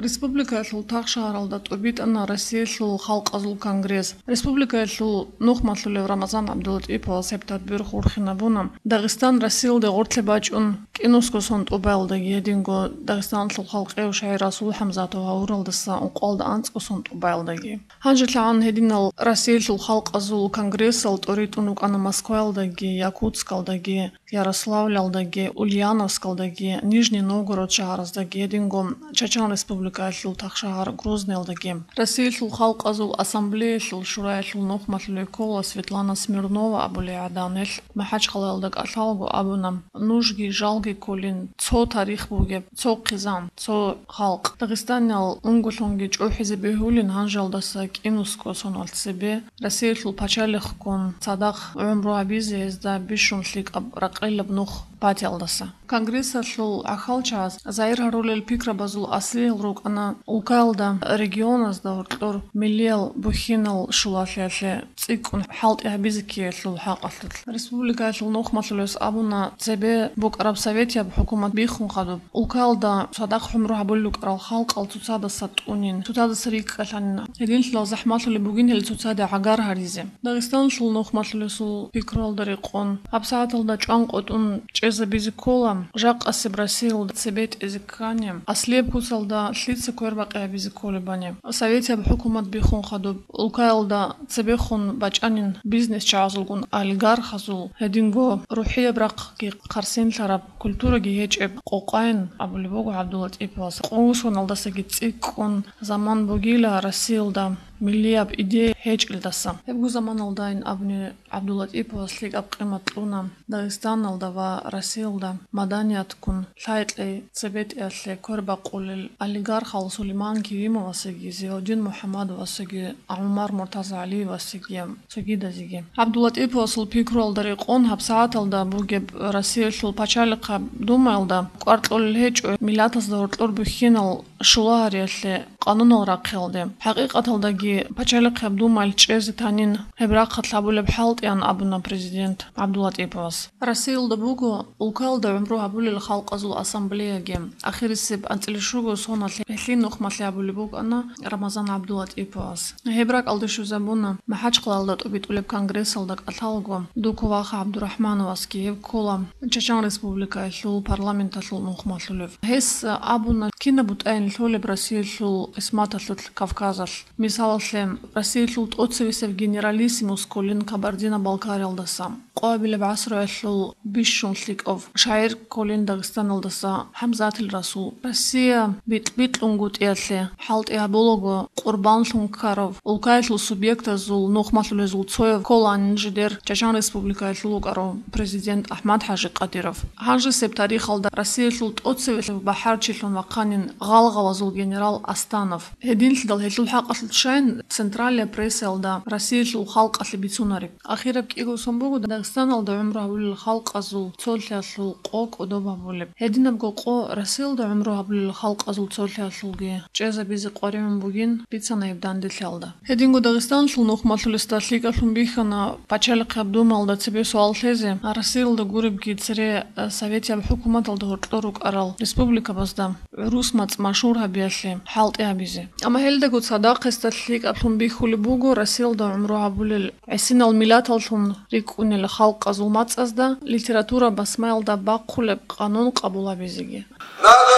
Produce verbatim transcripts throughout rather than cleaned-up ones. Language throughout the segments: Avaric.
Республикаялъул тахшагьаралда тӀубитӀана Россиялъул халкъазул конгресс. Республикаялъул нухмалъулев Рамазан ГӀабдулатӀиповас гьеб тадбир хурхинабуна. Дагъистан Россиялде гъорлъе бачӀун кӀинусго сон тӀубаялдаги, гьединго Дагъистаналъул халкъияв шагӀир Расул ХӀамзатов гьавуралдаса ункъоялда анцӀго сон тӀубаялдаги. ГьанжелъагӀан гьединал Россиялъул халкъазул конгрессал тӀоритӀун рукӀана Москваялдаги, Якутскалдаги, Ярославльалдаги, Ульяновскалдаги, Нижний Новгород шагьараздаги, гьединго Чачан Республикаялъул тахшагьар Грозныялдаги. Россиялъул халкъазул ассамблеялъул шураялъул нухмалъулев ккола Светлана Смирнова абулей гӀадан, гьелъ МахӀачхъалаялда кӀалъалаго абуна: «Нужги жалги кколин цо тарих бугеб, цо хъизан, цо халкъ. Дагъистаниял унголъунги чӀухӀизе бегьулин гьанжалдаса кӀинусго соналъ цебе Россиялъул пачалихъгун цадахъ гӀумру гьабизе гьезда бищун лъикӀаб ракъилаб нух батиялдаса». Конгрессалъул гӀахьалчагӀаз загьир гьарулел пикрабазул аслиял рукӀана улкаялда регионазда гьоркьор миллиял бухьинал шулалъиялъе цӀикӀкӀун хӀалтӀи гьабизе ккеялъул хӀакъалъулъ. Республикаялъул нухмалъулес абуна, цебе букӀараб советияб хӀукумат биххун хадуб, улкаялда цадахъ гӀумру гьабулел рукӀарал халкъал цоцадаса тӀунин, цоцадаса рикӀкӀалъанин, гьединлъидал захӀмалъулеб бугин гьел цоцаде гӀагар гьаризе. Дагъистаналъул нухмалъулесул пикруялда рекъон, гьабсагӀаталда чӀванкъотӀун чӀезабизе ккола, жакъасеб Россиялда цебетӀезе ккани, аслияб куцалда лъица квербакъи гьабизе кколебани. Советияб хӀукумат биххун хадуб, улкаялда цебехун бачӀанин бизнесчагӀазулгун олигархазул, гьединго рухӀияб рахъги хъарсинлъараб, культураги гьечӀеб къокъайн абулеб буго ГӀабдуллатӀиповас. Къугьусоналдасаги цӀикӀкӀун заман бугила Россиялда миллияб идея гьечӀелдаса. Гьебго заманалдайин абуни ГӀабдуллатӀиповас лъикӀаб къимат кьуна Дагъистаналда ва Россиялда маданиятгун лъай-кьей цебетӀеялъе квербакъулел олигархал Сулейман Керимовасаги, Зиаудин МухӀаммадовасаги, ГӀумар МуртазагӀалиевасаги, цогидазеги. ГӀабдуллатӀиповасул пикруялда рекъон гьабсагӀаталда бугеб Россиялъул пачалихъаб Думаялда кӀвар кьолел гьечӀо миллатазда гьоркьор бухьинал шулагьариялъе къанунал рахъиялде. ХӀакъикъаталдаги пачалихъаб Думаялъ чӀезе танин гьеб рахъалъ гьабулеб хӀалтӀиян абуна президент ГӀабдуллатӀиповас. Россиялда буго улкаялда гӀумру гьабулел халкъазул ассамблеяги. Ахирисеб анцӀила щуго соналъ гьелъие нухмалъи гьабулеб букӀана Рамазан ГӀабдуллатӀиповас. Гьеб ракӀалде щвезабуна МахӀачхъалаялда тӀубитӀулеб конгрессалда кӀалъалаго Дуку Ваха ГӀабдурахӀмановасги, гьев ккола Чачан Республикаялъул парламенталъул нухмалъулев. Гьес абуна, кинаб бутӀайин лъолеб Россиялъул къисматалъулъ Кавказалъ. Мисалалъе, Россиялъул тӀоцевесев генералиссимус кколин Кабардино-Балкариялдаса, къоабилеб гӀасруялъул бищун лъикӀав шагӀир кколин Дагъистаналдаса ХӀамзатил Расул, Россия битӀ-битӀунгутӀиялъе хӀалтӀи гьабулаго къурбанлъун ккарав, улкаялъул субъектазул нухмалъулезул цояв кколаанин жидер Чачан Республикаялъул вукӀарав президент АхӀмад-ХӀажи Къадиров. Гьанжесеб тарихалда Россиялъул тӀоцевесев бахӀарчилъун вахъанин гъалгъалазул генерал Астанов. Гьединлъидал гьелъул хӀакъалъулъ щайин централияб прессаялда Россиялъул халкъалъе бицунареб. Ахираб кӀиго сон буго Дагъистаналда гӀумру гьабулел халкъазул цолъиялъул къо кӀодоб гьабулеб. Гьединабго къо Россиялда гӀумру гьабулел халкъазул цолъиялъулги чӀезабизе къваригӀун бугин бицана гьеб данделъиялда. Гьединго Дагъистаналъул нухмалъулесда лъикӀалъун бихьана пачалихъаб Думаялда цебе суал лъезе, Россиялда гуребги цере, э, советияб хӀукуматалда гьоркьор рукӀарал республикабазда гӀурус мацӀ машгьур гьабиялъе хӀалтӀи гьабизе. Амма гьелдаго цадахъ гьесда лъикӀаблъун бихьулеб буго Россиялда гӀумру гьабулел гӀисинал миллаталлъун рикӀкӀунел халкъазул мацӀазда литература басмаялда бахъулеб къанун къабул гьабизеги. Надо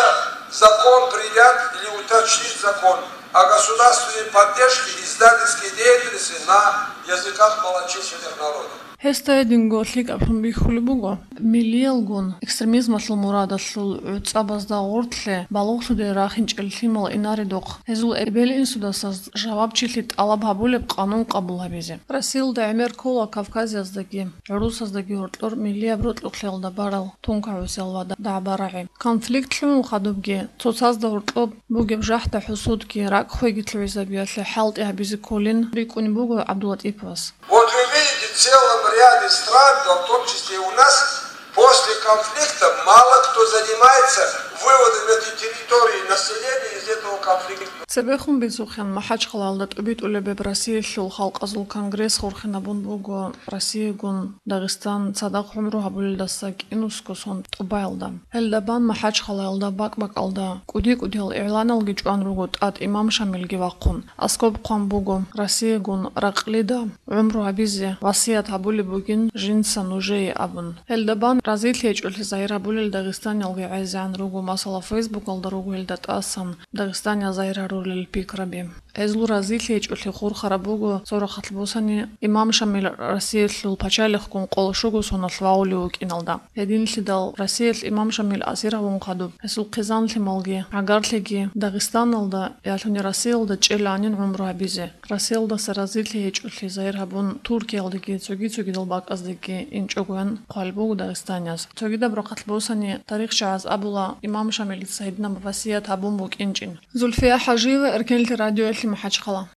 закон принять или уточнить закон о государственной поддержке издательской деятельности на языках малочисленных народов. Гьесда гьединго лъикӀаблъун бихьулеб буго, миллиялгун экстремизмалъул мурадалъул гӀуцӀабазда гъорлъе балугълъуде рахинчӀел лъимал инаредухъ, гьезул эбел-инсудаса жавабчилъи тӀалаб гьабулеб къанун къабул гьабизе. Россиялда гӀемер ккола Кавказияздаги, гӀурусаздаги гьоркьор миллияб рокьукълъиялда барал тункагӀусел ва дагӀба-рагӀи. Конфликт лъугӀун хадубги, цоцазда гьоркьоб бугеб жахӀда-хӀусудги, ракӀ-хвеги лъугӀизабиялъе хӀалтӀи гьабизе кколин рикӀкӀунеб буго ГӀабдуллатӀиповас. Вот вы видите, в целом ряде стран, да в том числе и у нас, после конфликта мало кто занимается выводом этой территории, населения из этого Цебехун бицухъин, МахӀачхъалаялда тӀубитӀулеб Россиялъул халкъазул конгресс хурхинабун буго Россиягун Дагъистан цадахъ гӀумру гьабулелдаса кӀинусго сон тӀубаялда. Гьелда бан МахӀачхъалаялда бакӀ-бакӀалда кӀуди-кӀудиял игӀланалги чӀван руго тӀад имам Шамилги вахъун. Аскоб хъван буго Россиягун ракълида гӀумру гьабизе васият гьабулеб бугин жинца нужее абун. Гьелда бан разилъи гьечӀолъи загьир гьабулел дагъистаниялги гӀезегӀан руго, масала, Фейсбукалда руго гьелда тӀасан дагъистаниял загьир гьарулел пикраби. Гьезул разилъи гьечӀолъи хурхараб буго цо рахъалъ бусани имам Шамил Россиялъул пачалихъгун къоло щуго соналъ вагъулев вукӀиналда. Гьединлъидал Россиялъ имам Шамил асир гьавун хадуб, гьесул хъизан-лъималги, гӀагарлъиги Дагъистаналда, ялъуни Россиялда чӀеланин гӀумру гьабизе. Россиялдаса разилъи гьечӀолъи загьир гьабун, Туркиялдеги цоги-цогидал бакӀаздеги инчӀогоян хъван буго дагъистанияз. Цогидаб рахъалъ бусани тарихчагӀаз абула, имам Шамилица гьединаб васият гьабун букӀинчӀин. Зульфия ХӀажиева, Эркенлъи радиоялъе, МахӀачхъала.